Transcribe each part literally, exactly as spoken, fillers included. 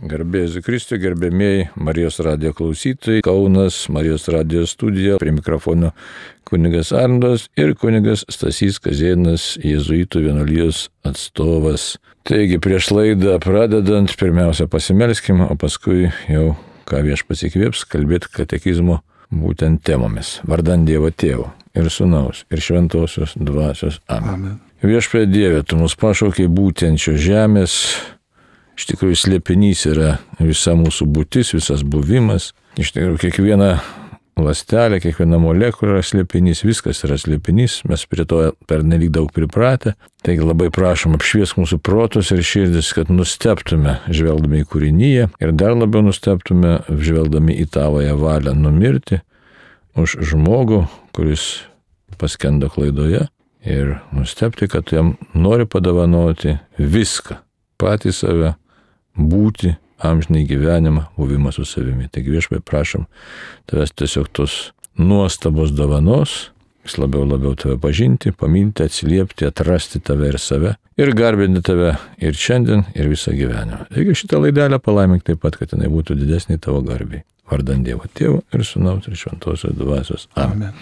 Garbė Jėzui Kristui, gerbėmieji Marijos radijo klausytojai, Kaunas, Marijos radijo studija, prie mikrofono kunigas Arnoldas ir kunigas Stasys Kazėnas, jėzuitų vienuolijos atstovas. Taigi prieš laidą pradedant, pirmiausia pasimelskime, o paskui jau, ką Viešpats įkvėps, kalbėti katekizmo būtent temomis. Vardan Dievo Tėvo ir Sūnaus ir Šventosios Dvasios. Amen. Amen. Viešpatie Dieve, Tu mus pašaukei būtent šios žemės. Iš tikrųjų, slėpinys yra visa mūsų būtis, visas buvimas. Iš tikrųjų, kiekviena ląstelė, kiekviena molekulė yra slėpinys, viskas yra slėpinys, mes prie to pernelyg daug pripratę. Taigi labai prašom apšviesk mūsų protus ir širdis, kad nustebtume žvelgdami į kūriniją ir dar labiau nustebtume žvelgdami į Tavąją valią numirti už žmogų, kuris paskendo klaidoje ir nustebti, kad jam nori padovanoti viską, patį save, būti, amžinai gyvenimą, buvimą su savimi. Taigi Viešpatie prašom Tavęs tiesiog tos nuostabos dovanos, vis labiau labiau Tave pažinti, pamilti, atsiliepti, atrasti Tave ir save ir garbinti Tave ir šiandien, ir visą gyvenimą. Taigi šitą laidelę palaimink taip pat, kad jinai būtų didesnė Tavo garbiai. Vardan Dievo Tėvo ir Sūnaus ir Šventosios Dvasios. Amen.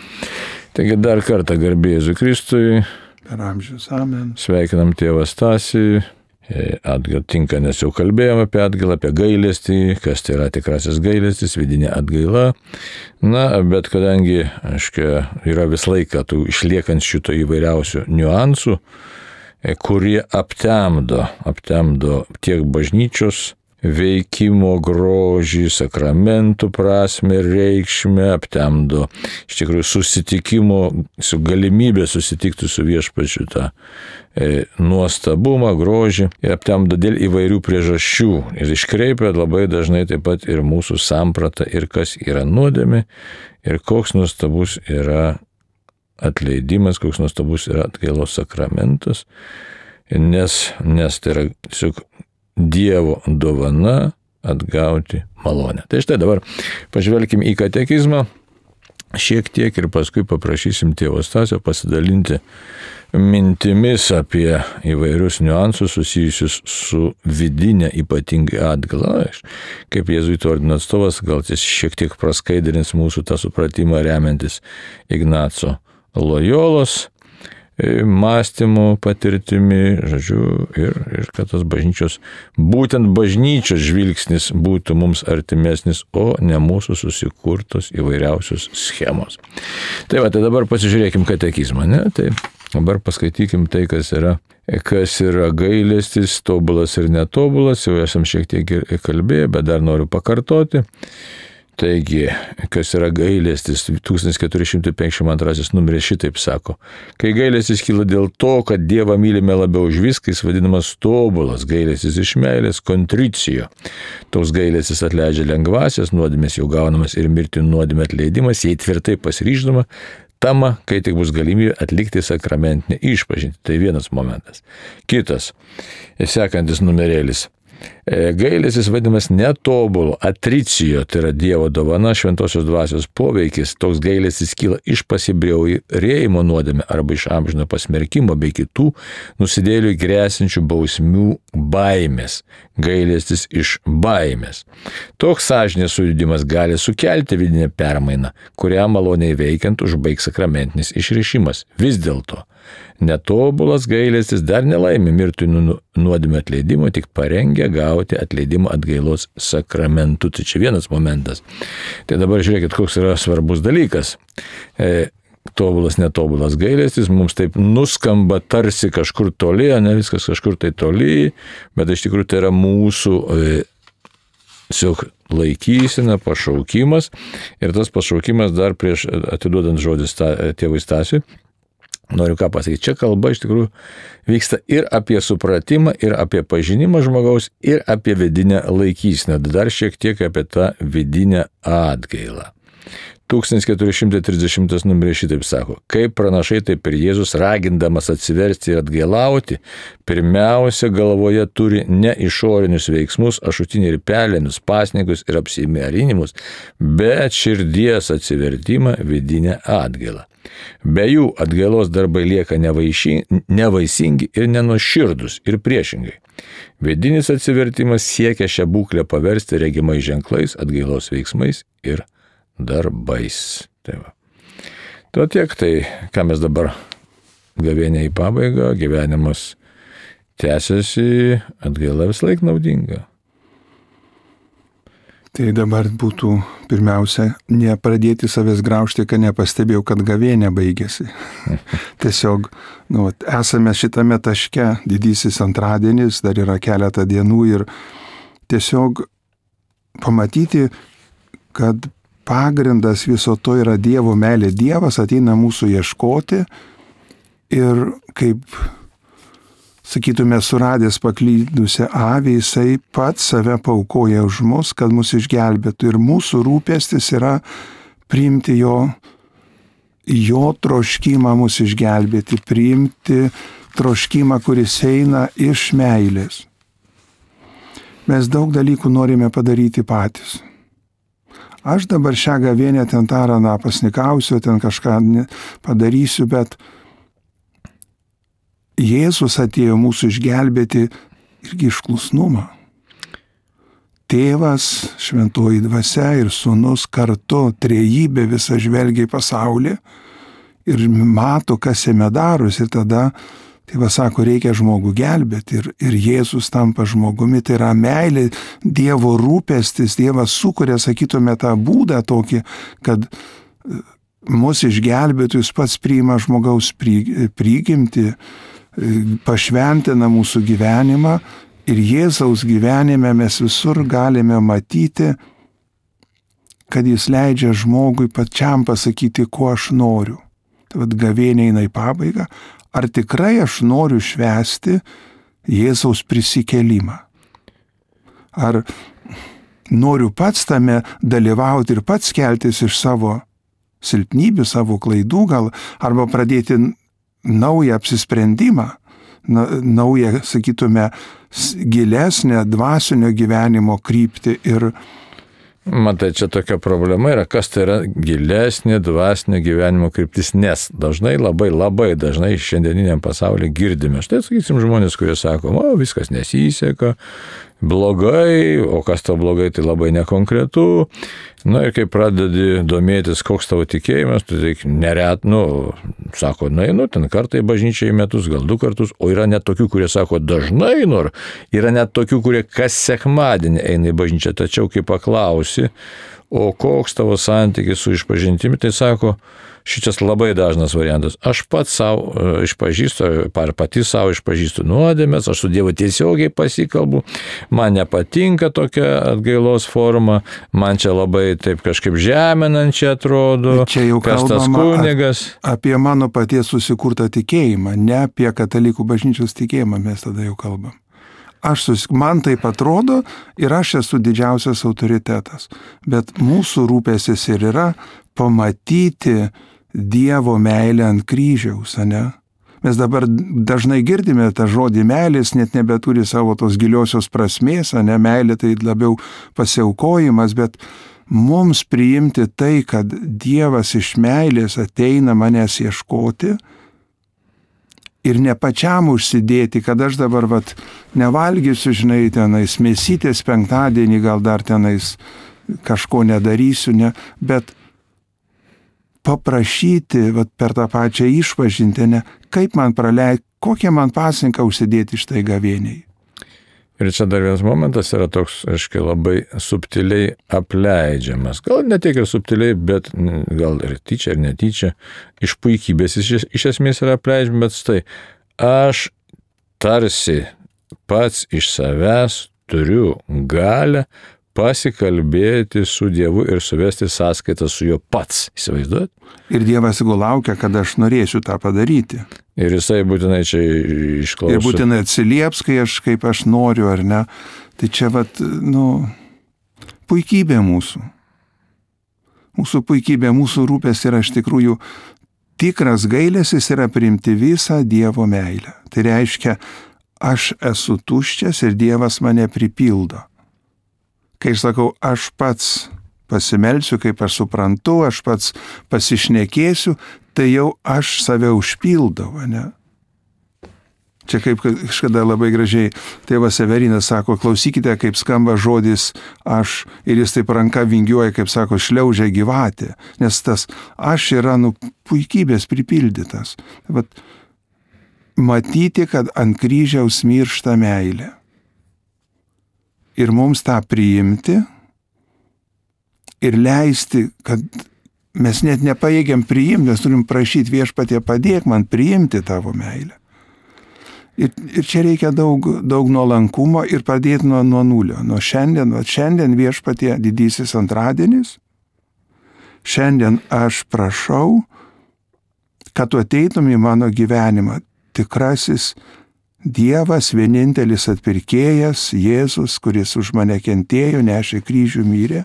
Taigi dar kartą garbė Jėzui Kristui. Per amžius. Amen. Sveikinam tėvą Stasį. Atgal tinka, nes jau kalbėjome apie atgailą, apie gailestį, kas tai yra tikrasis gailestis, vidinė atgaila. Na, bet kadangi, aiškia, yra vis laiką tų išliekant šito įvairiausių niuansų, kurie aptemdo, aptemdo tiek bažnyčios veikimo grožį, sakramentų prasme ir reikšmę, aptemdo iš tikrųjų susitikimo, su galimybė susitikti su Viešpačiu tą e, nuostabumą, grožį, ir aptemdo dėl įvairių priežasčių ir iškreipia labai dažnai taip pat ir mūsų sampratą ir kas yra nuodėmė ir koks nuostabus yra atleidimas, koks nuostabus yra atgailos sakramentas, nes, nes tai yra tiesiog Dievo dovana atgauti malonę. Tai štai dabar pažvelkim į katekizmą šiek tiek ir paskui paprašysim tėvo Stasio pasidalinti mintimis apie įvairius niuansus susijusius su vidinė ypatingai atgaila. Kaip jėzuitų ordino atstovas, gal jis šiek tiek praskaidrins mūsų tą supratimą remiantis Ignaco Lojolos mąstymo patirtimi, žodžiu, ir, ir kad tas bažnyčios, būtent bažnyčios žvilgsnis būtų mums artimesnis, o ne mūsų susikurtos įvairiausios schemos. Tai va, tai dabar pasižiūrėkim katekizmą, ne? Tai dabar paskaitykim tai, kas yra, kas yra gailestis, tobulas ir netobulas, jau esam šiek tiek kalbėję, bet dar noriu pakartoti. Taigi, kas yra gailestis, tūkstantis keturi šimtai penkiasdešimt antrasis numeris šitaip sako. Kai gailestis kyla dėl to, kad Dievą mylime labiau už viską, jis vadinamas tobulas, gailestis iš meilės, kontricijo. Toks gailestis atleidžia lengvasias, nuodėmės jau gaunamas ir mirti nuodėmė atleidimas, jei tvirtai pasiryždama, tama, kai tik bus galimybė atlikti sakramentinę išpažintį. Tai vienas momentas. Kitas, sekantis numerėlis. Gailestis vadinamas netobulu, atricijo, tai yra Dievo dovana, Šventosios Dvasios poveikis. Toks gailestis kyla iš pasibjaurėjimo nuodėmę arba iš amžino pasmerkimo bei kitų nusidėjėlių grėsinčių bausmių baimės. Gailestis iš baimės. Toks sąžinės sujudimas gali sukelti vidinę permainą, kurią maloniai veikiant užbaigs sakramentinis išrišimas. Vis dėlto netobulas gailestis dar nelaimi mirti nuodėmę atleidimo, tik parengia gauti atleidimo atgailos sakramentu. Tai čia vienas momentas. Tai dabar žiūrėkit, koks yra svarbus dalykas. E, tobulas, netobulas gailestis mums taip nuskamba tarsi kažkur toli, ne viskas kažkur tai toli, bet iš tikrųjų tai yra mūsų e, tiesiog laikysena, pašaukimas. Ir tas pašaukimas dar prieš atiduodant žodį sta, tėvui Stasiui, noriu ką pasakyti, čia kalba iš tikrųjų vyksta ir apie supratimą, ir apie pažinimą žmogaus, ir apie vidinę laikyseną. Dar šiek tiek apie tą vidinę atgailą. tūkstantis keturi šimtai trisdešimtas numeris šitaip sako, kaip pranašai, taip ir Jėzus, ragindamas atsiversti ir atgailauti, pirmiausia galvoje turi ne išorinius veiksmus, ašutinį ir pelėnus, pasninkus ir apsimerinimus, bet širdies atsivertimą, vidinę atgailą. Be jų atgailos darbai lieka nevaiši, nevaisingi ir nenuoširdus ir priešingai. Vidinis atsivertimas siekia šią būklę paversti regimais ženklais, atgailos veiksmais ir darbais. Tai va. Tuo tiek, tai ką mes dabar gavėnė į pabaigą, gyvenimas tęsiasi, atgaila vis laik naudinga. Tai dabar būtų pirmiausia, nepradėti savęs graužti, kad nepastebėjau, kad gavėnė baigėsi. Tiesiog, nu, esame šitame taške, didysis antradienis, dar yra keletą dienų ir tiesiog pamatyti, kad pagrindas viso to yra Dievo meilė. Dievas ateina mūsų ieškoti ir kaip, sakytume, suradęs paklydusią avį, jisai pats save paaukoja už mus, kad mus išgelbėtų. Ir mūsų rūpestis yra priimti jo, jo troškimą mus išgelbėti, priimti troškimą, kuris eina iš meilės. Mes daug dalykų norime padaryti patys. Aš dabar šią gavėnę ten tą raną pasnikausiu, ten kažką padarysiu, bet Jėzus atėjo mūsų išgelbėti irgi iš klusnumo. Tėvas, šventoji dvasia ir sūnus kartu, trejybė visa žvelgia į pasaulį ir mato, kas jame darosi. Ir tada tėvas sako, reikia žmogų gelbėti. Ir, ir Jėzus tampa žmogumi. Tai yra meilė, Dievo rūpestis. Dievas sukuria, sakytume, tą būdą tokį, kad mus išgelbėtų, jis pats priima žmogaus prigimtį, pašventina mūsų gyvenimą ir Jėzaus gyvenime mes visur galime matyti, kad jis leidžia žmogui pačiam pasakyti, ko aš noriu. Tai vad gavėnė eina į pabaigą. Ar tikrai aš noriu švęsti Jėzaus prisikėlimą? Ar noriu pats tame dalyvauti ir pats keltis iš savo silpnybių, savo klaidų gal, arba pradėti naują apsisprendimą, naują, sakytume, gilesnę dvasinio gyvenimo kryptį ir Matai, čia tokia problema yra, kas tai yra gilesnė dvasinio gyvenimo kryptis, nes dažnai, labai, labai dažnai šiandieniniam pasaulyje girdime. Štai, sakysim, žmonės, kurie sako, o, viskas nesiseka, blogai, o kas tau blogai, tai labai nekonkretu. Na ir kai pradedi domėtis, koks tavo tikėjimas, tai taip neret, nu, sako, na, nu, ten kartą į bažnyčią į metus, gal du kartus, o yra net tokių, kurie sako, dažnai, nor, yra net tokių, kurie kas sekmadienį eina į bažnyčią, tačiau kai paklausi, o koks tavo santykis su išpažintimi, tai sako, šitas labai dažnas variantas. Aš pats savo išpažįstu, ar pati savo išpažįstu nuodėmes, aš su Dievu tiesiogiai pasikalbu, man nepatinka tokia atgailos forma, man čia labai taip kažkaip žeminančiai atrodo, čia jau kas tas kunigas. Apie mano paties susikurtą tikėjimą, ne apie katalikų bažnyčios tikėjimą mes tada jau kalbam. Aš sus... Man taip atrodo ir aš esu didžiausias autoritetas, bet mūsų rūpestis ir yra pamatyti Dievo meilę ant kryžiaus, ane? Mes dabar dažnai girdime tą žodį meilės, net nebeturi savo tos giliosios prasmės, ane? Meilė tai labiau pasiaukojimas, bet mums priimti tai, kad Dievas iš meilės ateina manęs ieškoti ir ne pačiam užsidėti, kad aš dabar vat, nevalgysiu, žinai, tenais mėsytės penktadienį, gal dar tenais kažko nedarysiu, ne, bet paprašyti vat, per tą pačią išpažintinę, kaip man praleidti, kokią man pasninką užsidėti štai gavėniai. Ir čia dar vienas momentas yra toks, aiškiai, labai subtiliai apleidžiamas. Gal ne tiek ir subtiliai, bet gal ir tyčia, ir netyčia. Iš puikybės iš, iš esmės yra apleidžiama, bet štai, aš tarsi pats iš savęs turiu galę pasikalbėti su Dievu ir suvesti sąskaitą su juo pats. Įsivaizduot? Ir Dievas jeigu laukia, kad aš norėsiu tą padaryti. Ir jisai būtinai čia išklauso. Ir būtinai atsilieps, kai aš, kaip aš noriu, ar ne. Tai čia, vat, nu, puikybė mūsų. Mūsų puikybė, mūsų rūpės yra iš tikrųjų tikras gailestis yra priimti visą Dievo meilę. Tai reiškia, aš esu tuščias ir Dievas mane pripildo. Kai aš sakau, aš pats pasimelsiu, kaip aš suprantu, aš pats pasišnekėsiu, tai jau aš save užpildau, ne? Čia kaip kažkada labai gražiai tėvas Severinas sako, klausykite, kaip skamba žodis aš, ir jis taip ranka vingiuoja, kaip sako, šliaužia gyvatė, nes tas aš yra nu puikybės pripildytas. Vat, matyti, kad ant kryžiaus miršta meilė. Ir mums tą priimti ir leisti, kad mes net nepajėgiam priimti, mes turim prašyti Viešpatie, padėk man priimti tavo meilę. Ir, ir čia reikia daug, daug nuolankumo ir pradėti nuo, nuo nulio. Nuo šiandien, nuo šiandien Viešpatie didysis antradienis. Šiandien aš prašau, kad tu ateitum į mano gyvenimą. Tikrasis Dievas, vienintelis atpirkėjas, Jėzus, kuris už mane kentėjo, nešė kryžių, mirė.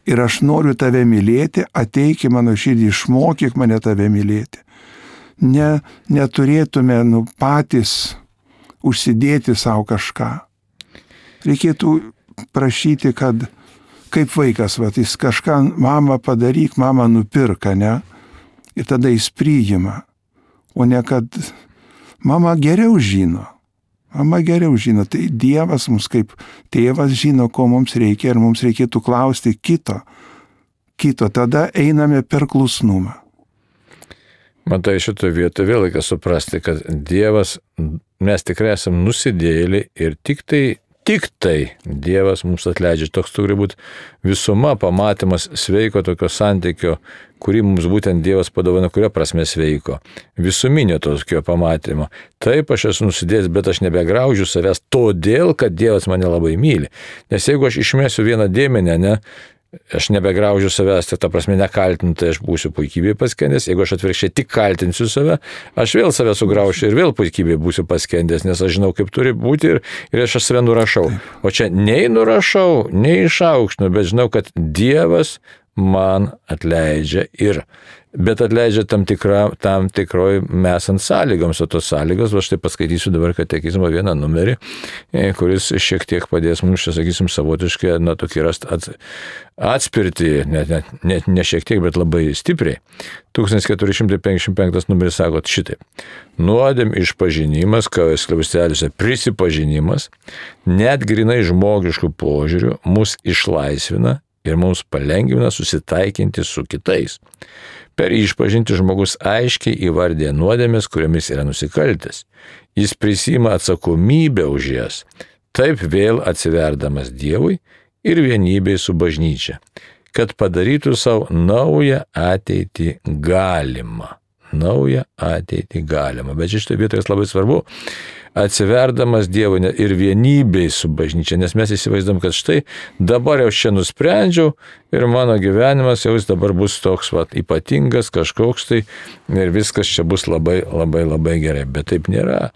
Ir aš noriu tave mylėti, ateik į mano širdį, išmokyk mane tave mylėti. Ne, neturėtume nu, patys užsidėti savo kažką. Reikėtų prašyti, kad kaip vaikas, va, jis kažką, mama padaryk, mama nupirka, ne? Ir tada jis priima. O ne kad mama geriau žino. Mama geriau žino. Tai Dievas mums kaip tėvas žino, ko mums reikia ir mums reikėtų klausti kito. Kito. Tada einame per klusnumą. Matai, šitoje vietoje vėl reikia suprasti, kad Dievas, mes tikrai esame nusidėjėliai ir tik tai, tik tai Dievas mums atleidžia. Toks turi būti visuma, pamatymas sveiko tokio santykio, kurį mums būtent Dievas padovano, kurio prasme sveiko. Visuminio tokio pamatymo. Taip, aš esu nusidėjęs, bet aš nebegraužiu savęs todėl, kad Dievas mane labai myli. Nes jeigu aš išmesiu vieną dėmenę, ne, aš nebegraužiu savęs, tai ta prasme nekaltinu, tai aš būsiu puikybėje paskendęs. Jeigu aš atvirkščiai tik kaltinsiu save, aš vėl save sugraušiu ir vėl puikybėje būsiu paskendęs, nes aš žinau, kaip turi būti ir, ir aš save nurašau. O čia nei nurašau, nei išaukštinu, bet žinau, kad Dievas man atleidžia ir bet atleidžia tam, tikra, tam tikroj mesant sąlygoms, o tos sąlygos, va štai paskaitysiu dabar katekizmo vieną numerį, kuris šiek tiek padės mums, čia sakysim, savotiškai, na, tokį rast ats, atspirti, net, net, net ne šiek tiek, bet labai stipriai. tūkstantis keturi šimtai penkiasdešimt penktas numeris sako šitaip. Nuodėm išpažinimas, kavos skliausteliuose prisipažinimas, net grinai žmogiškų požiūrių mus išlaisvina ir mums palengvina susitaikinti su kitais. Per išpažinti žmogus aiškiai įvardė nuodėmės, kuriomis yra nusikaltęs. Jis prisiima atsakomybę už jas, taip vėl atsiverdamas Dievui ir vienybei su bažnyčia, kad padarytų savo naują ateitį galimą. Naują ateitį galimą. Bet šitoje vietoje labai svarbu, atsiverdamas Dievui ir vienybei su bažnyčia, nes mes įsivaizduom, kad štai dabar jau čia nusprendžiau ir mano gyvenimas jau jis dabar bus toks vat, ypatingas, kažkoks tai ir viskas čia bus labai, labai, labai gerai. Bet taip nėra.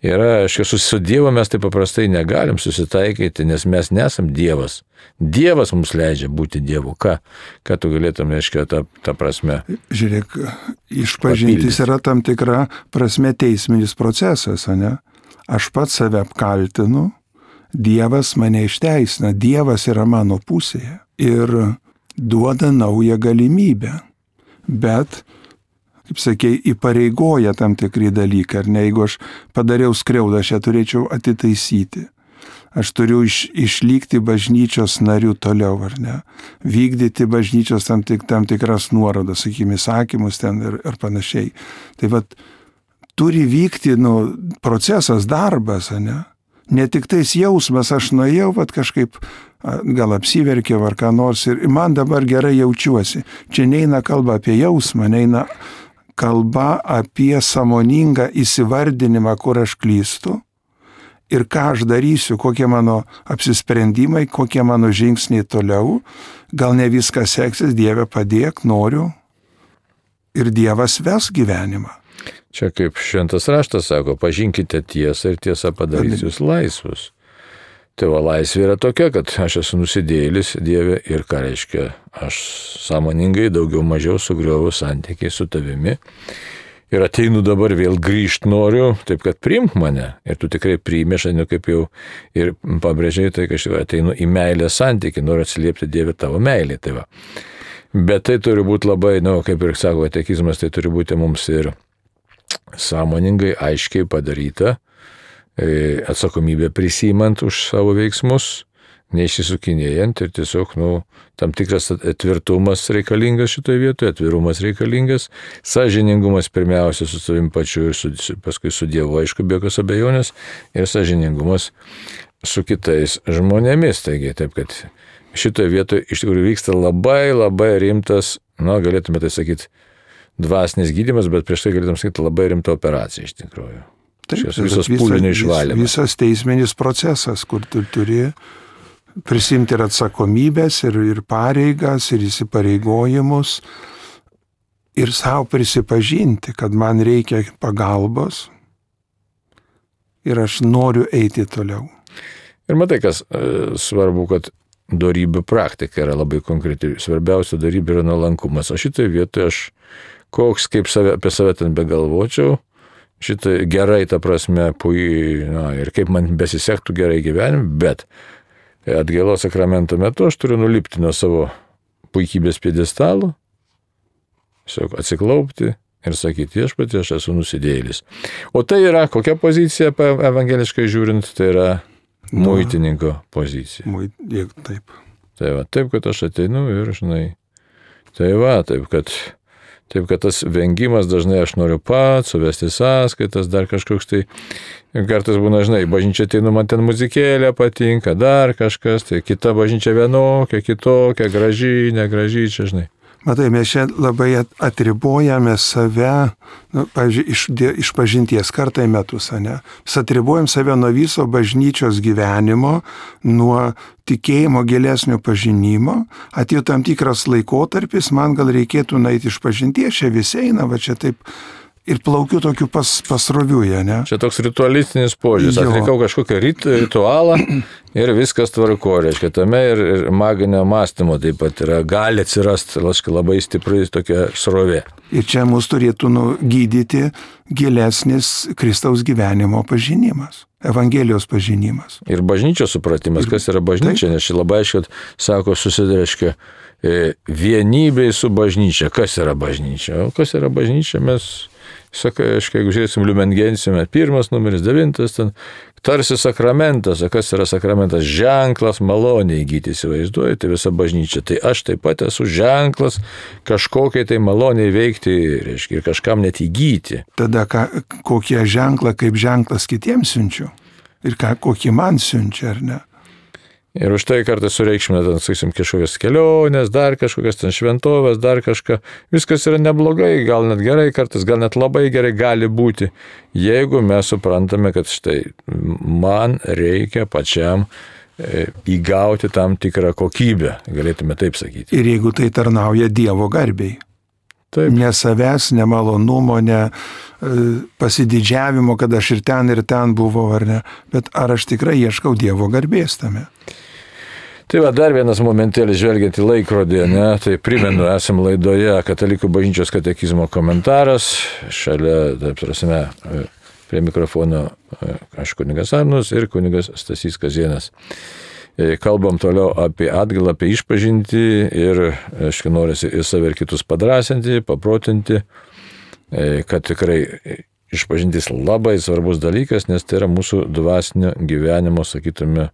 Yra, aišku, su Dievu mes taip paprastai negalim susitaikyti, nes mes nesam Dievas. Dievas mums leidžia būti Dievu. Ką, ką tu galėtum, aiškiai, tą, tą prasme? Žiūrėk, išpažintis yra tam tikra prasme teisminis procesas, ne? Aš pats save apkaltinu, Dievas mane išteisina, Dievas yra mano pusėje ir duoda naują galimybę. Bet, kaip sakei, įpareigoja tam tikri dalykai, ar ne, jeigu aš padariau skriaudą, aš ją turėčiau atitaisyti. Aš turiu iš, išlikti bažnyčios narių toliau, ar ne, vykdyti bažnyčios tam, tik, tam tikras nuorodas, sakykime, įsakymus ten ir, ir panašiai. Tai vat, turi vykti nu, procesas, darbas, ne? Ne tik tais jausmas, aš nuėjau, vat kažkaip gal apsiverkiau ar ką nors ir man dabar gerai jaučiuosi. Čia neina kalba apie jausmą, neina kalba apie sąmoningą įsivardinimą, kur aš klystu ir ką aš darysiu, kokie mano apsisprendimai, kokie mano žingsniai toliau. Gal ne viskas seksis, Dieve padėk, noriu ir Dievas ves gyvenimą. Čia kaip šventas raštas sako, pažinkite tiesą ir tiesa padarys jūs laisvus. Tai va, laisvė yra tokia, kad aš esu nusidėjėlis Dieve ir ką reiškia, aš sąmoningai daugiau mažiau sugrioviau santykiai su tavimi. Ir ateinu dabar vėl grįžti noriu, taip kad priimk mane. Ir tu tikrai priimi, aš ateinu kaip jau ir pabrėžiai, tai kad aš ateinu į meilę santykį, noriu atsiliepti Dieve tavo meilį. Tai va. Bet tai turi būti labai, nu, kaip ir sako katekizmas, tai turi būti mums ir sąmoningai, aiškiai padaryta, atsakomybę prisimant už savo veiksmus, neišsisukinėjant ir tiesiog, nu, tam tikras tvirtumas reikalingas šitoje vietoje, atvirumas reikalingas, sąžiningumas pirmiausia su savim pačiu ir su, paskui su Dievu, aišku, be jokios abejonės, ir sąžiningumas su kitais žmonėmis. Taigi, taip kad šitoje vietoje iš tikrųjų vyksta labai labai rimtas, na, galėtume tai sakyti, dvasinis gydymas, bet prieš tai galėtume sakyti labai rimta operacija iš tikrųjų. Taip, Šios visos pūlinio išvalymas. Visas teisminis procesas, kur tu turi prisimti ir atsakomybės, ir, ir pareigas, ir įsipareigojimus, ir savo prisipažinti, kad man reikia pagalbos ir aš noriu eiti toliau. Ir matai, kas e, svarbu, kad dorybių praktika yra labai konkreti. Svarbiausia dorybė yra nuolankumas. O šitoje vietoje aš, koks kaip save, apie save ten begalvočiau, šitą gerai, ta prasme, pui, na, ir kaip man besisektų gerai gyvenime, bet atgailos sakramento metu aš turiu nulipti nuo savo puikybės pjedestalo, tiesiog atsiklaupti ir sakyti, viešpatie, aš esu nusidėjėlis. O tai yra kokia pozicija, evangeliškai žiūrint, tai yra muitininko pozicija. Muit, taip. Tai va, taip, kad aš ateinu ir, žinai, tai va, taip, kad Taip, kad tas vengimas dažnai aš noriu pats, suvesti sąskaitas, dar kažkoks tai, kartais būna, žinai, bažnyčia ateinu, man ten muzikėlė patinka, dar kažkas, tai kita bažnyčia vienokia, kitokia, graži, negraži, čia, žinai. Matai, mes čia labai atribojame save, nu, pavyzdžiui, iš, iš pažinties kartą į metus, ne? Mes atribojam save nuo viso bažnyčios gyvenimo, nuo tikėjimo gilesnio pažinimo. Atėjo tam tikras laikotarpis, man gal reikėtų nueiti iš pažinties, čia visi eina, va čia taip ir plaukiu tokiu pas, pasroviuje, ne? Čia toks ritualistinis požiūris, atlikau kažkokią rit, ritualą ir viskas tvarko, reiškia, tame ir, ir maginio mąstymo taip pat yra, gali atsirasti, laškai, labai stipri tokia srovė. Ir čia mus turėtų nu, gydyti gilesnis Kristaus gyvenimo pažinimas, Evangelijos pažinimas. Ir bažnyčios supratimas, kas yra bažnyčia, nes čia labai aiškiai sako, susidareškia vienybei su bažnyčia. Kas yra bažnyčia? O kas yra bažnyčia? Mes, sakai, aiškiai, jeigu žiūrėsim Lumen Gentium, pirmas numeris, devintas, ten tarsi sakramentas. O kas yra sakramentas? Ženklas maloniai įgyti, įsivaizduoji, tai visa bažnyčia. Tai aš taip pat esu ženklas kažkokiai tai maloniai veikti, reiškia, ir kažkam net įgyti. Tada ką, kokie ženklą kaip ženklas kitiems siunčiu? Ir ką, kokį man siunčia, ar ne? Ir už tai kartais sureikšmina, ten, sakysim, kažkokias kelionės, dar kažkokias ten šventovės, dar kažką. Viskas yra neblogai, gal net gerai, kartais gal net labai gerai gali būti, jeigu mes suprantame, kad štai man reikia pačiam įgauti tam tikrą kokybę, galėtume taip sakyti. Ir jeigu tai tarnauja Dievo garbei. Taip. Ne savęs, ne malonumo, ne pasididžiavimo, kad aš ir ten, ir ten buvau, ar ne, bet ar aš tikrai ieškau Dievo garbės tame. Tai va, dar vienas momentėlis žvelgiant į laikrodį, ne, tai primenu, esam laidoje Katalikų bažnyčios katekizmo komentaras, šalia, taip prasme, prie mikrofono aš kunigas Arnus ir kunigas Stasys Kazėnas. Kalbam toliau apie atgailą, apie išpažintį ir, aišku, norisi ir save ir kitus padrasinti, paprotinti, kad tikrai išpažintis labai svarbus dalykas, nes tai yra mūsų dvasinio gyvenimo, sakytume,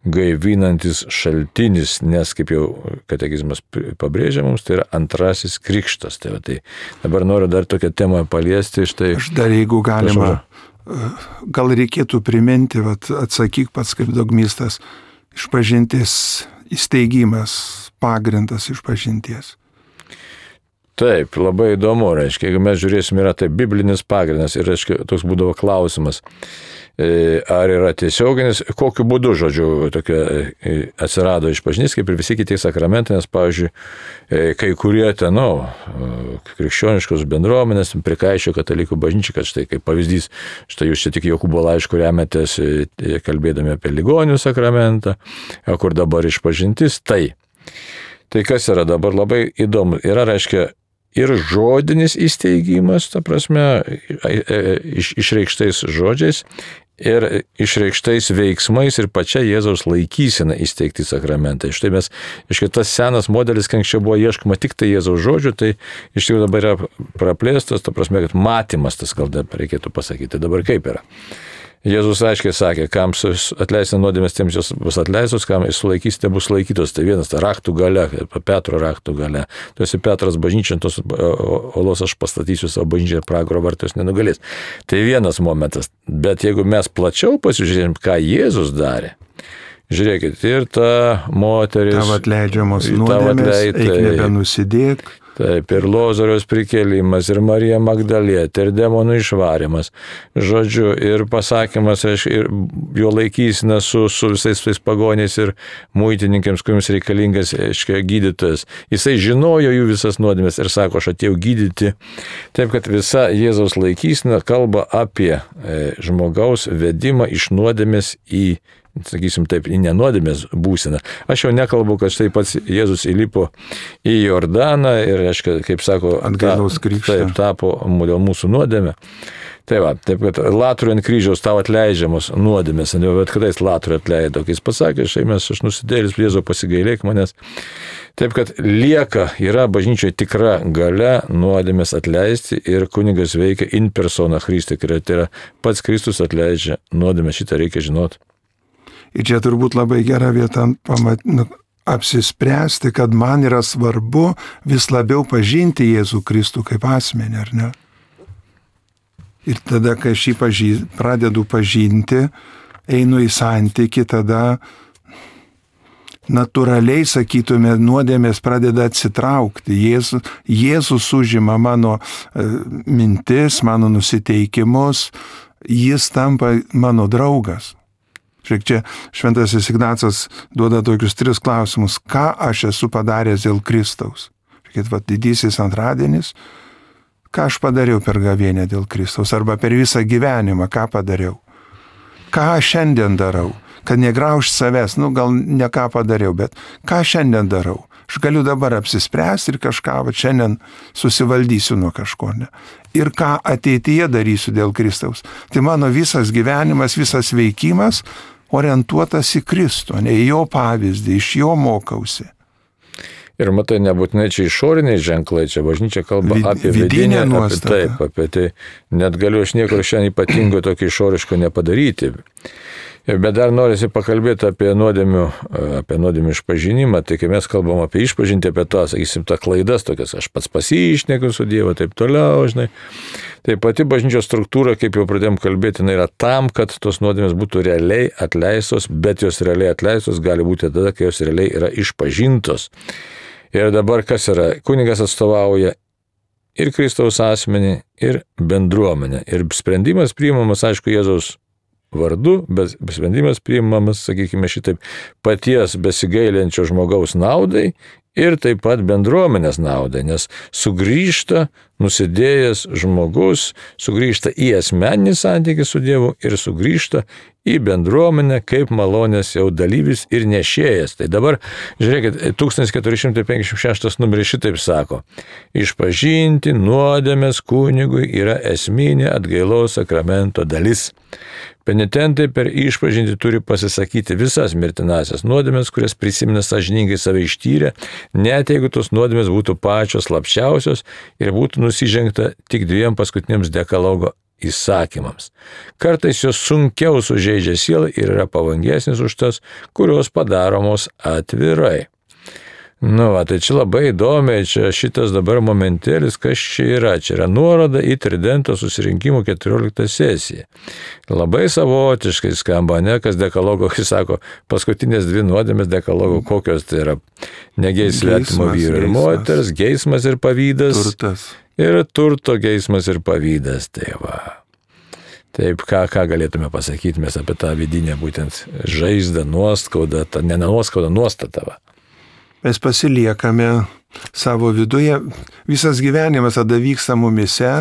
gaivinantis šaltinis, nes, kaip jau katekizmas pabrėžia mums, tai yra antrasis krikštas. Tai, va, tai dabar noriu dar tokią temą paliesti. Štai, aš dar, jeigu galima, gal reikėtų priminti, va, atsakyk pats kaip dogmistas, išpažintis įsteigimas, pagrindas išpažinties. Taip, labai įdomu, reiškia, jeigu mes žiūrėsim, yra tai biblinis pagrindas ir, reiškia, toks būdavo klausimas. ar yra tiesioginis, kokiu būdu, žodžiu, tokia atsirado išpažintis, kaip ir visi kiti sakramentai, nes, pavyzdžiui, kai kurie ten, nu, krikščioniškos bendruomenės prikaišio katalikų bažnyčiai, kad štai kaip pavyzdys, štai jūs čia tik Jokūbo laišku remetės, kalbėdami apie ligonių sakramentą, kur dabar išpažintis, tai. Tai kas yra dabar labai įdomu, yra, reiškia, ir žodinis įsteigimas, ta prasme, iš, išreikštais žodžiais ir išreikštais veiksmais ir pačia Jėzaus laikysena įsteigti sakramentai. Štai mes, iškai tas senas modelis, kai anksčiau buvo ieškoma tik tai Jėzaus žodžių, tai iš tikrųjų dabar yra praplėstas, ta prasme, kad matymas tas, gal reikėtų pasakyti. Dabar kaip yra? Jėzus aiškiai sakė, kam atleisite nuodėmės, tiems jos bus atleistos, kam sulaikysite, bus sulaikytos. Tai vienas, ta raktų galia, Petro raktų galia. Tu esi Petras bažnyčia, tos olos aš pastatysiu savo bažnyčią, pragaro vartus nenugalės. Tai vienas momentas. Bet jeigu mes plačiau pasižiūrėjom, ką Jėzus darė, žiūrėkit, ir ta moteris... Tavo atleidžiamos nuodėmės, eik nebenusidėk. Taip, ir Lozoriaus prikėlimas, ir Marija Magdalietė, ir demonų išvarimas. Žodžiu, ir pasakymas, ir jo laikysina su, su visais tais pagoniais ir muitininkams, kuriems reikalingas, aiškiai, gydytojas. Jisai žinojo jų visas nuodėmės ir sako, aš atėjau gydyti. Taip, kad visa Jėzaus laikysina kalba apie e, žmogaus vedimą iš nuodėmės į, sakysim taip, į nenuodėmės būseną. Aš jau nekalbu, kad štai pats Jėzus įlipo į Jordaną ir, aiškiai, kaip sako, atgailos krikštą. Taip, tapo dėl mūsų nuodėmę. Tai va, taip, kad latrui ant kryžiaus tau atleidžiamos nuodėmės, bet kada jis latrui atleido, kai jis pasakė, štai mes, aš nusidėlis, Jėzau, pasigailėk manęs. Taip, kad lieka, yra bažnyčioje tikra galia nuodėmės atleisti ir kunigas veikia in persona Christi, tai yra pats Kristus atleidžia nuodėmės, šitą reikia žinoti. Ir čia turbūt labai gera vieta pamat, nu, apsispręsti, kad man yra svarbu vis labiau pažinti Jėzų Kristų kaip asmenį, ar ne? Ir tada, kai aš jį pažį, pradedu pažinti, einu į santykį, tada natūraliai, sakytume, nuodėmės pradeda atsitraukti. Jėzus, Jėzus užima mano e, mintis, mano nusiteikimus, jis tampa mano draugas. Žiūrėk, čia šventasis Ignacas duoda tokius tris klausimus. Ką aš esu padaręs dėl Kristaus? Žiūrėkit, va, didysis antradienis. Ką aš padariau per gavėnią dėl Kristaus? Arba per visą gyvenimą, ką padariau? Ką aš šiandien darau? Kad negraužt savęs, nu gal ne ką padariau, bet ką šiandien darau? Aš galiu dabar apsispręsti ir kažką, va, šiandien susivaldysiu nuo kažko, ne? Ir ką ateityje darysiu dėl Kristaus. Tai mano visas gyvenimas, visas veikimas orientuotas į Kristų, ne į jo pavyzdį, iš jo mokausi. Ir matai, nebūtinai čia išoriniai ženklai, čia bažnyčia kalba Vid, apie vidinę vidinę, nuostatą. apie, taip, apie tai. Net galiu aš nieko šiandien ypatingo tokio išoriško nepadaryti. Bet dar norisi pakalbėti apie nuodėmių, apie nuodėmių išpažinimą, tai kai mes kalbam apie išpažinti, apie to, sakysim, tą klaidas tokias, aš pats pasišnekiu su Dievu, taip toliau, žinai. Tai pati bažnyčios struktūra, kaip jau pradėjom kalbėti, yra tam, kad tos nuodėmės būtų realiai atleistos, bet jos realiai atleistos gali būti tada, kai jos realiai yra išpažintos. Ir dabar kas yra? Kunigas atstovauja ir Kristaus asmenį, ir bendruomenę. Ir sprendimas priimamas, aišku, Jėzaus vardu, bet sprendimas priimamas, sakykime šitaip, paties besigailinčio žmogaus naudai ir taip pat bendruomenės naudai, nes sugrįžta nusidėjęs žmogus, sugrįžta į asmeninį santykį su Dievu ir sugrįžta į bendruomenę kaip malonės jau dalyvis ir nešėjas. Tai dabar, žiūrėkit, tūkstantis keturi šimtai penkiasdešimt šeštas numeris šitaip sako: išpažinti nuodėmės kunigui yra esminė atgailos sakramento dalis. Penitentai per išpažinti turi pasisakyti visas mirtinasias nuodėmės, kurias prisimena sąžiningai save ištyrę, net jeigu tos nuodėmės būtų pačios slapčiausios ir būtų nusižengta tik dviem paskutiniams dekalogo įsakymams. Kartais jos sunkiau sužeidžia sielą ir yra pavojingesnis už tas, kurios padaromos atvirai. Nu, va, tai čia labai įdomiai, čia šitas dabar momentėlis, kas čia yra. Čia yra nuoroda į Tridento susirinkimų keturioliktą sesiją. Labai savotiškai skamba, ne, kas dekalogo, kai sako, paskutinės dvi nuodėmės dekalogo, kokios tai yra negeis svetimo vyro ir moters, geismas ir pavydas. Turtas. Ir turto geismas ir pavydas, tai va. Taip, ką, ką galėtume pasakyti mes apie tą vidinę būtent žaizdą, nuoskaudą, tą ne nuoskaudą, nuostatą. Mes pasiliekame savo viduje, visas gyvenimas tada vyksta mumise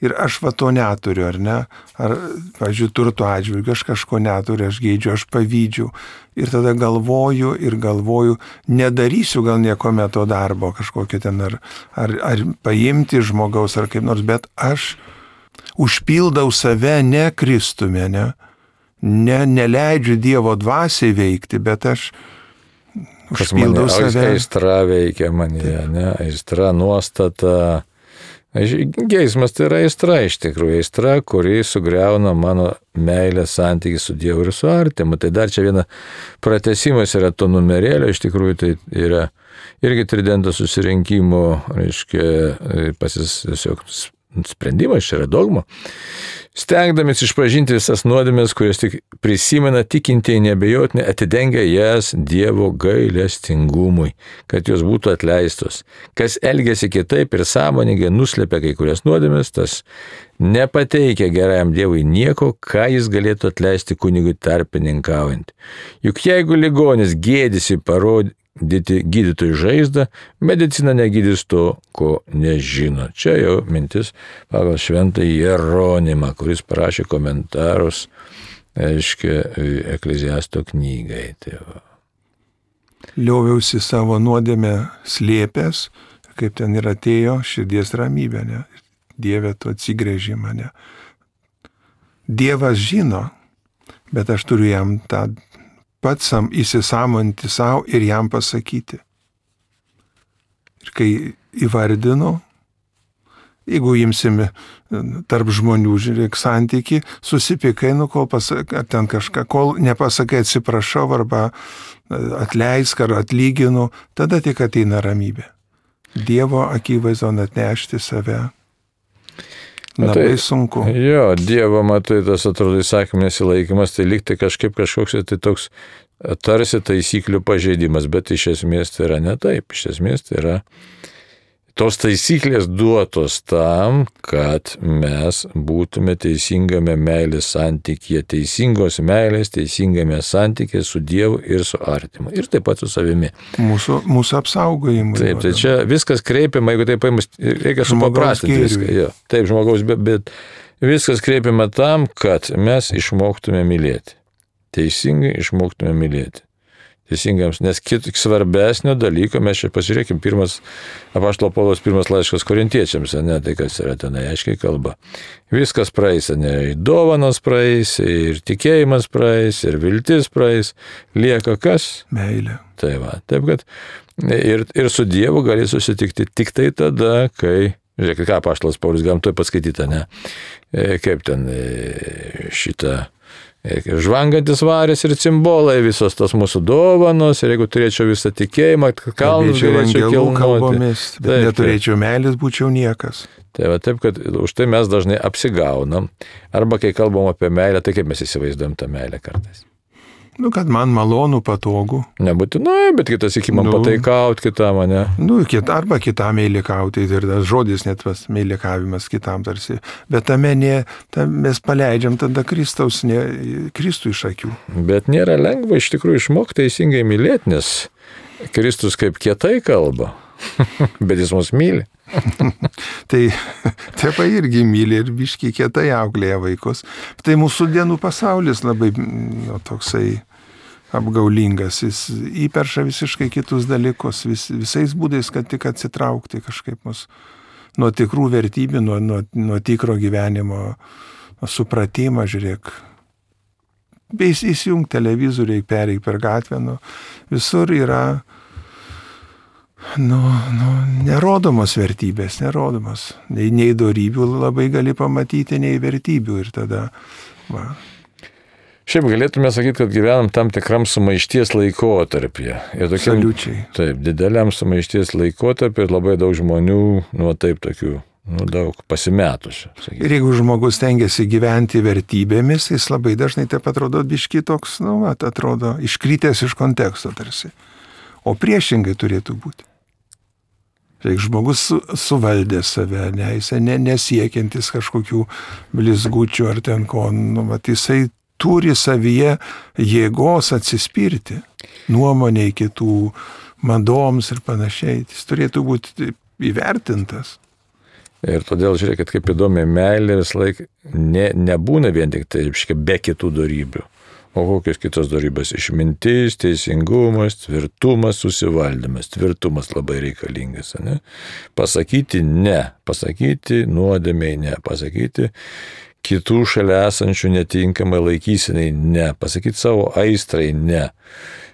ir aš va to neturiu, ar ne? Ar, pavyzdžiui, turto atžvilgiu, aš kažko neturiu, aš geidžiu, aš pavydžiu. Ir tada galvoju ir galvoju, nedarysiu gal nieko meto darbo kažkokio ten, ar, ar, ar paimti žmogaus, ar kaip nors, bet aš užpildau save ne Kristumi, ne? Ne, neleidžiu Dievo dvasiai veikti, bet aš užpildau mane, save. Aistra veikia manyje, ne? Aistra, nuostata. Geismas tai yra aistra iš tikrųjų, aistra, kuri sugriauna mano meilę santykį su Dievu ir su artimu. Tai dar čia viena pratęsimas yra to numerėlio, iš tikrųjų tai yra irgi tridento susirinkimo, reiškia, pasis tiesiog sprendimas, čia yra dogma. Stengdamės išpažinti visas nuodėmes, kurias tik prisimena tikintieji neabejotinai, atidengia jas Dievo gailestingumui, kad jos būtų atleistos. Kas elgiasi kitaip ir sąmoningai nuslepia kai kurias nuodėmes, tas nepateikia gerajam Dievui nieko, ką jis galėtų atleisti kunigui tarpininkaujant. Juk jeigu ligonis gėdisi parodyti gydytojų žaizdą, medicina negydys to, ko nežino. Čia jau mintis pagal šventąjį Jeronimą, kuris parašė komentarus, aiškia, Ekleziasto knygai. Tai Lioviausi savo nuodėmę slėpęs, kaip ten ir atėjo širdies ramybė, ne? Dieve, tu atsigrėži mane. Dievas žino, bet aš turiu jam tą pats įsisamonti savo ir jam pasakyti. Ir kai įvardinu, jeigu imsime tarp žmonių, žiūrėk, santyki, susipykai, nu, kol pasakai, ar ten kažką, kol nepasakai atsiprašau, arba atleisk, ar atlyginu, tada tik ateina ramybė. Dievo akivaizdon atnešti save. Labai sunku. Jo, Dievo, matai, tas atrodo įsakymų nesilaikymas, tai lyg tai kažkaip kažkoks, tai toks tarsi taisyklių pažeidimas, bet iš esmės tai yra ne taip. Iš esmės tai yra tos taisyklės duotos tam, kad mes būtume teisingame meilės santykyje, teisingos meilės, teisingame santykyje su Dievu ir su artimu. Ir taip pat su savimi. Mūsų, mūsų apsaugojimui. Taip, tai čia viskas kreipiama, jeigu taip paimus, reikia supaprastinti viską. Jo, taip, žmogaus, bet, bet viskas kreipiama tam, kad mes išmoktume mylėti. Teisingai išmoktume mylėti. Teisingams, nes kit svarbesnio dalyko, mes čia pasižiūrėkim, pirmas, apaštalo Pauliaus pirmas laiškas korintiečiams, ne, tai kas yra tenai, aiškiai kalba. Viskas praeis, ne, dovanos praeis, ir tikėjimas praeis, ir viltis praeis, lieka kas? Meilė. Tai va, taip kad ir, ir su Dievu gali susitikti tik tai tada, kai, žiūrėk, ką apaštalas Paulius, galim toj paskaityti, ne, kaip ten šitą, žvangantis varis ir cimbolai, visos tos mūsų dovanos, ir jeigu turėčiau visą tikėjimą, kalnus galėčiau kilnoti. Bet neturėčiau meilės, būčiau niekas. Tai va taip, kad už tai mes dažnai apsigaunam, arba kai kalbam apie meilę, tai kaip mes įsivaizduojam tą meilę kartais. Nu, kad man malonu, patogu. Nebūtinai, bet kitas iki man nu, pataikaut kitam, ne? Nu, kit, arba kitam meilikauti, ir tas žodis net tas meilikavimas kitam tarsi. Bet tame ne, tam mes paleidžiam tada Kristaus, ne, Kristų iš akių. Bet nėra lengva iš tikrųjų išmokti teisingai mylėti, nes Kristus kaip kietai kalba, bet jis mus myli. Tai tėvai irgi myli ir biški kietai auklėja vaikus. Tai mūsų dienų pasaulis labai nu, toksai apgaulingas. Jis įperša visiškai kitus dalykus, vis, visais būdais, kad tik atsitraukti kažkaip mus nuo tikrų vertybių, nuo, nuo, nuo tikro gyvenimo, nuo supratimo, žiūrėk. Bei įsijung televizoriai, pereik per gatvę, nu, visur yra Nu, nu, nerodomos vertybės, nerodomos. Nei, nei dorybių labai gali pamatyti, nei vertybių ir tada, va. Šiaip galėtume sakyti, kad gyvenam tam tikram sumaišties laikotarpyje. Absoliučiai. Taip, dideliam sumaišties laikotarpyje ir labai daug žmonių, nu taip, tokių, nu daug pasimetusių. Sakyti. Ir jeigu žmogus tengiasi gyventi vertybėmis, jis labai dažnai taip atrodo biški toks, nu, atrodo, iškritęs iš konteksto tarsi. O priešingai turėtų būti. Reik žmogus su, suvaldė save, ne, jisai ne, nesiekiantis kažkokių blizgučių ar ten ko, nu, vat, jisai turi savyje jėgos atsispirti nuomoniai kitų, madoms ir panašiai. Jis turėtų būti įvertintas. Ir todėl, žiūrėkit, kaip įdomi, meilė vis laik ne, nebūna vien tik tai be kitų dorybių. O kokios kitos dorybės? Išmintis, teisingumas, tvirtumas, susivaldymas. Tvirtumas labai reikalingas, ne? Pasakyti ne, pasakyti nuodėmiai ne, pasakyti kitų šalia esančių netinkamai laikysinai ne, pasakyti savo aistrai ne.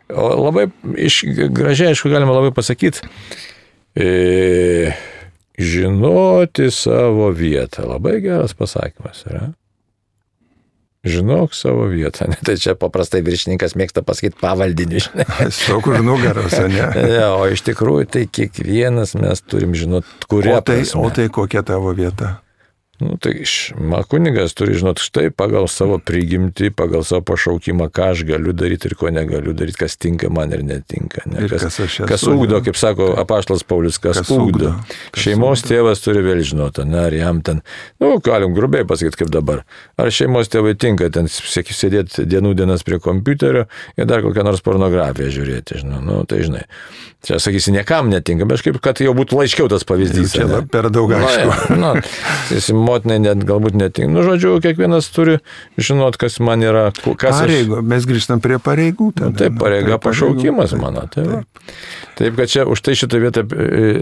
O labai, iš, gražiai, aišku, galima labai pasakyti, e, žinoti savo vietą. Labai geras pasakymas yra. Žinok savo vietą. Tai čia paprastai viršininkas mėgsta pasakyti pavaldinį. Stok už nugaros, ne? Ja, o iš tikrųjų tai kiekvienas mes turim žinot, kuria o tai, prasme. O tai kokia tavo vieta? Nu, tai kunigas turi žinot štai pagal savo prigimtį, pagal savo pašaukimą, ką aš galiu daryti ir ko negaliu daryti, kas tinka man ir netinka. Ne? Ir kas, kas, kas ugdo, kaip sako apaštalas Paulius, kas, kas ugdo. Kas šeimos ugdo. Tėvas turi vėl žinoti, ne, ar jam ten, nu, galim grubiai pasakyti kaip dabar, ar šeimos tėvai tinka ten sėdėti dienų dienas prie kompiuterio ir dar kokią nors pornografiją žiūrėti, žinau, nu, tai žinai. Čia, sakysi, niekam netinka, bet kaip, kad jau būtų laiškiau tas pavyzdys. Čia ne? Per daug aišku. Na, na, motinai net galbūt netinka. Nu, žodžiu, kiekvienas turi žinot, kas man yra. Kas pareigų, aš... mes grįžtam prie pareigų. Tada, nu, taip, pareiga, pašaukimas mano. Taip. Taip. taip, kad čia už tai šitą vietą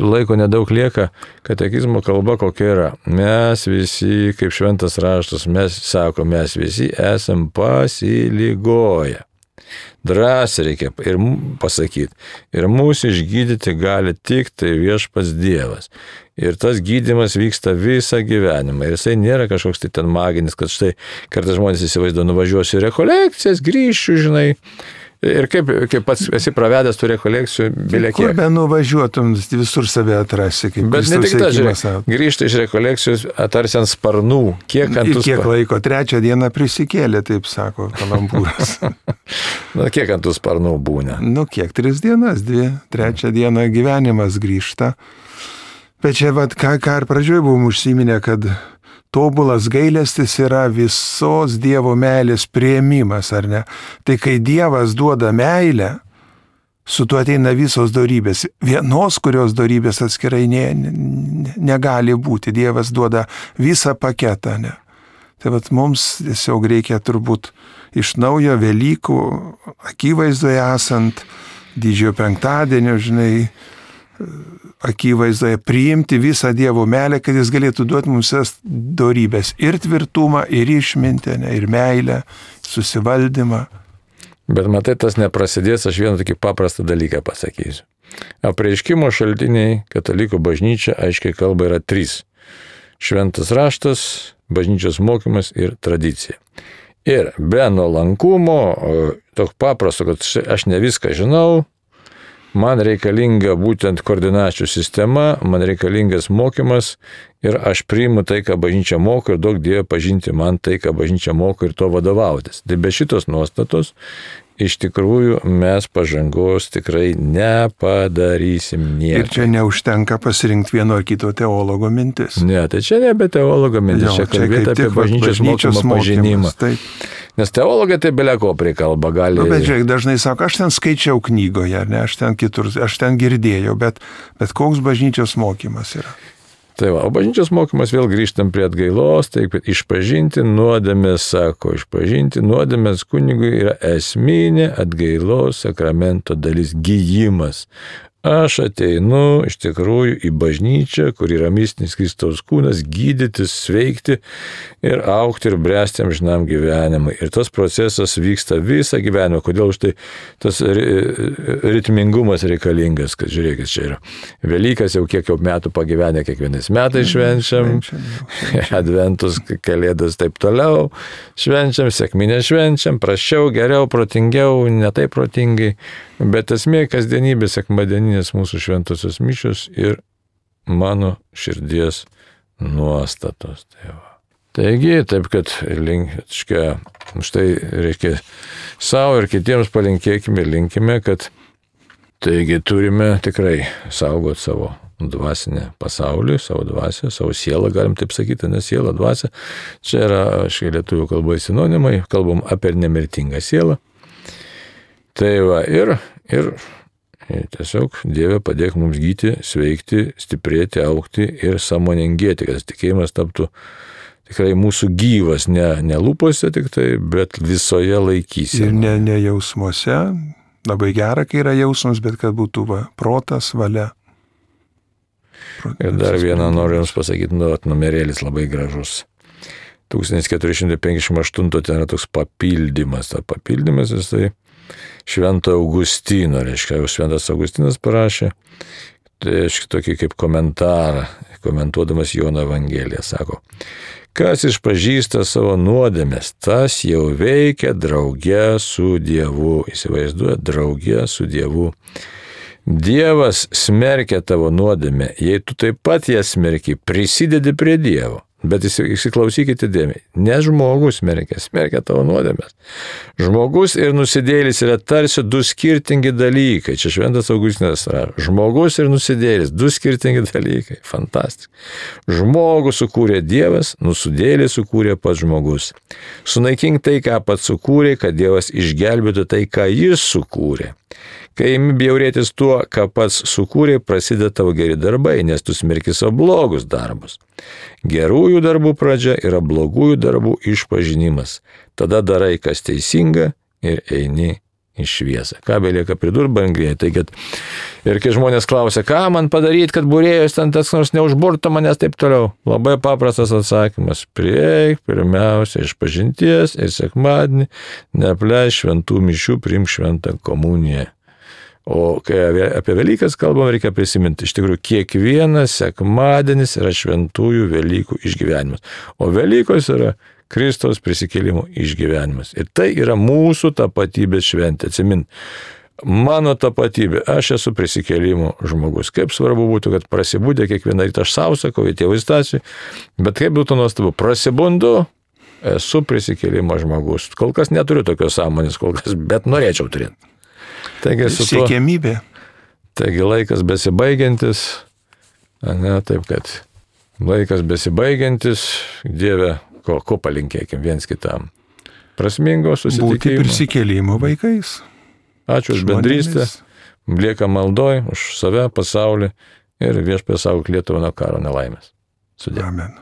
laiko nedaug lieka, katekizmo kalba kokia yra. Mes visi, kaip šventas raštas, mes sako, mes visi esam pasilygoję. Drąsiai reikia ir pasakyti. Ir mūsų išgydyti gali tik tai viešpats Dievas. Ir tas gydymas vyksta visą gyvenimą. Ir jisai nėra kažkoks tai ten maginis, kad štai kartais žmonės įsivaizduoja, nuvažiuosiu į rekolekcijas, grįšiu, žinai. Ir kaip, kaip pats esi pravedęs tų rekolekcijų, bilė kiek. Kur be nuvažiuotum, visur save atrasi. Bet ne tik ta, grįžta iš rekolekcijos, atarsi ant sparnų. Kiek ant tų sparnų? Kiek laiko? Trečią dieną prisikėlė, taip sako Kalambūras. Na, kiek ant tų sparnų būna? Nu, kiek? Tris dienas, dvi. Trečią dieną gyvenimas grįžta. Bet čia, vat, ką, ką ir pradžioje buvom užsiminę, kad tobulas gailestis yra visos Dievo meilės priėmimas, ar ne? Tai kai Dievas duoda meilę, su tuo ateina visos dorybės. Vienos, kurios dorybės atskirai ne, ne, negali būti. Dievas duoda visą paketą, ne? Tai vat mums tiesiog reikia turbūt iš naujo Velykų akivaizdoje esant, didžiojo penktadienio, žinai, akivaizdoje priimti visą Dievo meilę, kad jis galėtų duoti mums visas dorybės ir tvirtumą, ir išmintę, ir meilę, susivaldymą. Bet matai, tas neprasidės, aš vieną tokį paprastą dalyką pasakysiu. Apreiškimo šaltiniai katalikų bažnyčia aiškiai kalba yra trys. Šventas raštas, bažnyčios mokymas ir tradicija. Ir be nuolankumo, toks paprasto, kad aš ne viską žinau, man reikalinga būtent koordinačių sistema, man reikalingas mokymas ir aš priimu tai, ką bažnyčia moko ir daug Dievo pažinti man tai, ką bažnyčia moko ir to vadovautis. Tai be šitos nuostatos iš tikrųjų mes pažangos tikrai nepadarysim nieko. Ir čia neužtenka pasirinkti vieno ar kito teologo mintis. Ne, tai čia nebe teologo mintis, jo, čia kalbėti apie bažnyčios, bažnyčios mokymo pažinimą. Taip. Nes teologai tai beleko prikalba gali. Nu, bet žiūrėk, dažnai sako, aš ten skaičiau knygoje, ne, aš ten kitur, aš ten girdėjau, bet, bet koks bažnyčios mokymas yra. Tai va, o bažnyčios mokymas vėl grįžtam prie atgailos, taip, išpažinti nuodėmės, sako, išpažinti nuodėmės kunigui yra esminė atgailos sakramento dalis, gijimas. Aš ateinu iš tikrųjų į bažnyčią, kur yra mistinis Kristaus kūnas, gydytis, sveikti ir augti ir bręsti amžinam gyvenimui. Ir tas procesas vyksta visą gyvenimą. Kodėl už tai tas ritmingumas reikalingas, kad žiūrėkit, čia yra Velykas, jau kiek jau metų pagyvenę, kiekvienais metais švenčiam, adventus, kalėdas taip toliau, švenčiam, sekminę švenčiam, prasčiau, geriau, protingiau, ne taip protingai, bet esmė kasdienybė, sekmadieninės mūsų šventosios mišios ir mano širdies nuostatos. Tai va. Taigi, taip kad link, škia, štai reikia savo ir kitiems palinkėkime ir linkime, kad taigi turime tikrai saugoti savo dvasinį pasaulį, savo dvasią, savo sielą, galim taip sakyti, nes siela, dvasia. Čia yra, aiškiai, lietuvių kalboje sinonimai, kalbam apie nemirtingą sielą. Tai va, ir, ir tiesiog Dieve padėk mums gyti, sveikti, stiprėti, augti ir sąmoningėti, kad tikėjimas taptų tikrai mūsų gyvas, ne, ne lūpose tik tai, bet visoje laikysenoje. Ir ne, ne jausmuose. Labai gera, kai yra jausmas, bet kad būtų va, protas, valia. Protas, ir dar vieną noriu Jums pasakyti, nu, numerėlis labai gražus. tūkstantis keturi šimtai penkiasdešimt aštuntas ten yra toks papildymas. Ta papildymas jis tai Švento Augustino, reiškia, jau Šventas Augustinas parašė, tai reiškia tokį kaip komentarą, komentuodamas Jono Evangeliją, sako, kas išpažįsta savo nuodėmes, tas jau veikia drauge su Dievu. Įsivaizduoja, drauge su Dievu. Dievas smerkia tavo nuodėmę, jei tu taip pat ją smerki, prisidedi prie Dievo. Bet įsiklausykite dėmesį, ne žmogus smerkia, smerkia tavo nuodėmes. Žmogus ir nusidėlis yra tarsi du skirtingi dalykai. Čia Šventas Augustinas rašo. Žmogus ir nusidėlis, du skirtingi dalykai. Fantastika. Žmogų sukūrė Dievas, nusidėlį sukūrė pats žmogus. Sunaikink tai, ką pats sukūrė, kad Dievas išgelbėtų tai, ką jis sukūrė. Kai imi bjaurėtis tuo, ką pats sukūrė, prasideda tavo geri darbai, nes tu smerki savo blogus darbus. Gerųjų darbų pradžia yra blogųjų darbų išpažinimas. Tada darai, kas teisinga ir eini į šviesą. Ką belieka pridurti, brangiai. Tai kad ir kai žmonės klausia, ką man padaryti, kad būrėjus ten tas nors neužburtų manęs taip toliau. Labai paprastas atsakymas. Prieik pirmiausia išpažinties ir sekmadienį neapleis šventų mišių, priimk šventą komuniją. O kai apie Velykas kalbam, reikia prisiminti, iš tikrųjų, kiekvienas sekmadienis yra šventųjų Velykų išgyvenimas. O Velykos yra Kristaus prisikėlimo išgyvenimas. Ir tai yra mūsų tapatybės šventė. Atsimint, mano tapatybė, aš esu prisikėlimo žmogus. Kaip svarbu būtų, kad prasibūdė kiekvieną rytą, aš savo sakau, tėvų Stasijui, bet kaip būtų nuostabu, prasibundu, esu prisikėlimo žmogus. Kol kas neturiu tokios sąmonės, kol kas, bet norėčiau turėti. Taigi, su tuo, siekiamybė. Taigi laikas besibaigiantis, ne, taip kad laikas besibaigiantis, Dieve, ko, ko palinkėkim viens kitam. Prasmingo susitikimo. Būti prisikėlimo vaikais. Ačiū už bendrystę, lieka maldoj, už save, pasaulį ir Viešpaties saugok Lietuvą nuo karo nelaimės. Sudie. Amen.